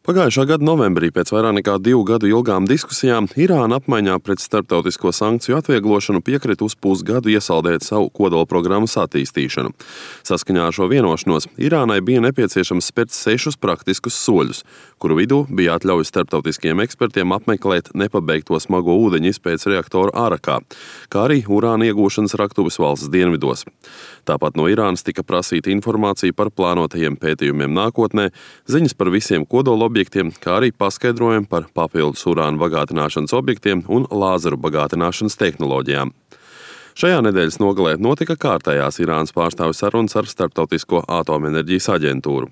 Pagājušā gada novembrī pēc vairāk nekā 2 gadu ilgām diskusijām Irāna apmaiņā pret starptautisko sankciju atvieglošanu piekrita uz pusgadu iesaldēt savu kodolprogrammas attīstīšanu. Saskaņā ar šo vienošanos Irānai bija nepieciešams spērt 6 praktiskus soļus, kuru vidū bija atļauja starptautiskiem ekspertiem apmeklēt nepabeigto smago ūdeņu izpētes reaktoru Arakā, kā arī urāna iegūšanas raktuves valsts dienvidos. Tāpat no Irānas tika prasīta informācija par plānotajiem pētījumiem nākotnē, ziņas par visiem kodolobjektiem, kā arī paskaidrojumi par papildus urāna bagātināšanas objektiem un lāzeru bagātināšanas tehnoloģijām. Šajā nedēļas nogalē notika kārtējās Irānas pārstāvju sarunas ar Starptautisko atomenerģijas aģentūru.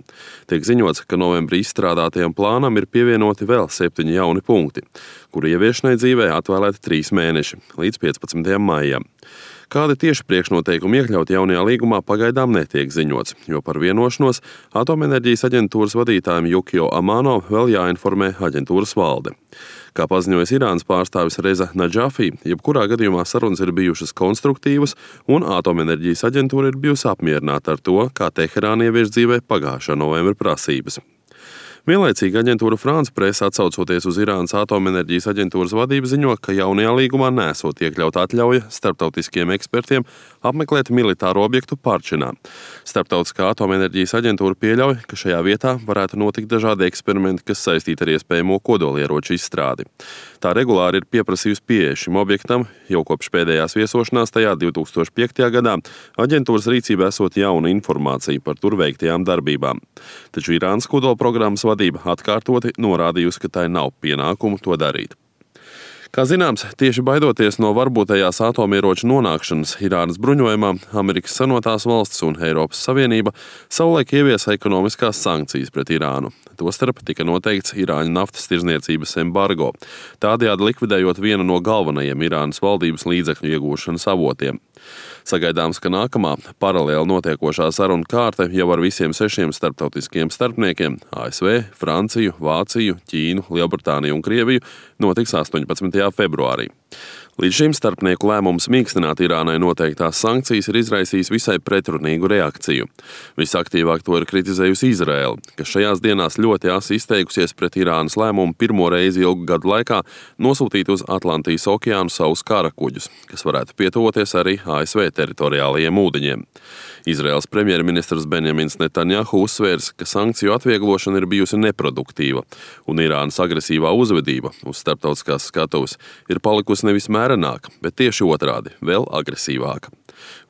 Tiek ziņots, ka novembrī izstrādātajam plānam ir pievienoti vēl 7 jauni punkti, kuru ieviešanai dzīvē atvēlēti 3 mēneši līdz 15. maijam. Kādi tieši priekšnoteikumi iekļaut jaunajā līgumā pagaidām netiek ziņots, jo par vienošanos atomenerģijas aģentūras vadītājiem Jukio Amano vēl jāinformē aģentūras valde. Kā paziņojas Irānas pārstāvis Reza Nadžafī, jebkurā gadījumā sarunas ir bijušas konstruktīvas un atomenerģijas aģentūra ir bijusi apmierināta ar to, kā Teherāna ievieš dzīvē pagājušā novembra prasības. Vienlaicīgi aģentūra France Presse, atsaucoties uz Irānas atomenerģijas aģentūras vadību, ziņo, ka jaunajā līgumā nesot iekļauta atļauja starptautiskiem ekspertiem apmeklēt militāro objektu Parčinā. Starptautiskā atomenerģijas aģentūra pieļauj, ka šajā vietā varētu notikt dažādi eksperimenti, kas saistīti ar iespējamo kodolieroču izstrādi. Tā regulāri ir pieprasījusi pieeju šim objektam, jau kopš pēdējās viesošanās tajā 2005. gadā aģentūras rīcībā esot jauna informācija par tur veiktajām darbībām. Taču Irānas kodolprogrammas vadība atkārtoti norādījusi, ka tai nav pienākumu to darīt. Kā zināms, tieši baidoties no varbūtējās atomieroču nonākšanas Irānas bruņojumā, Amerikas Savienotās valstis un Eiropas Savienība savulaik ieviesa ekonomiskās sankcijas pret Irānu. Tostarp tika noteikts Irāņu naftas tirdzniecības embargo, tādējādi likvidējot vienu no galvenajiem Irānas valdības līdzekļu iegūšanas avotiem. Sagaidāms, ka nākamā paralēli notiekošā saruna kārte jau ar visiem 6 starptautiskiem starpniekiem – ASV, Franciju, Vāciju, Ķīnu, Lielbritāniju un Krieviju – notiks 18. februārī. Līdz šim starpnieku lēmums mīkstināt Irānai noteiktās sankcijas ir izraisījis visai pretrunīgu reakciju. Visaktīvāk to ir kritizējusi Izraela, kas šajās dienās ļoti asi izteikusies pret Irānas lēmumu pirmo reizi ilgu gadu laikā nosūtīt uz Atlantijas okeānu savus karakuģus, kas varētu pietuvoties arī ASV teritoriālajiem ūdeņiem. Izraels premjerministrs Benjamins Netanjahu uzsvērs, ka sankciju atvieglošana ir bijusi neproduktīva, un Irānas agresīvā uzvedība uz starptautiskās skatuves ir palikusi nevis mērenāka, bet tieši otrādi, vēl agresīvāka.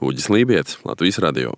Uģis Lībietis, Latvijas radio.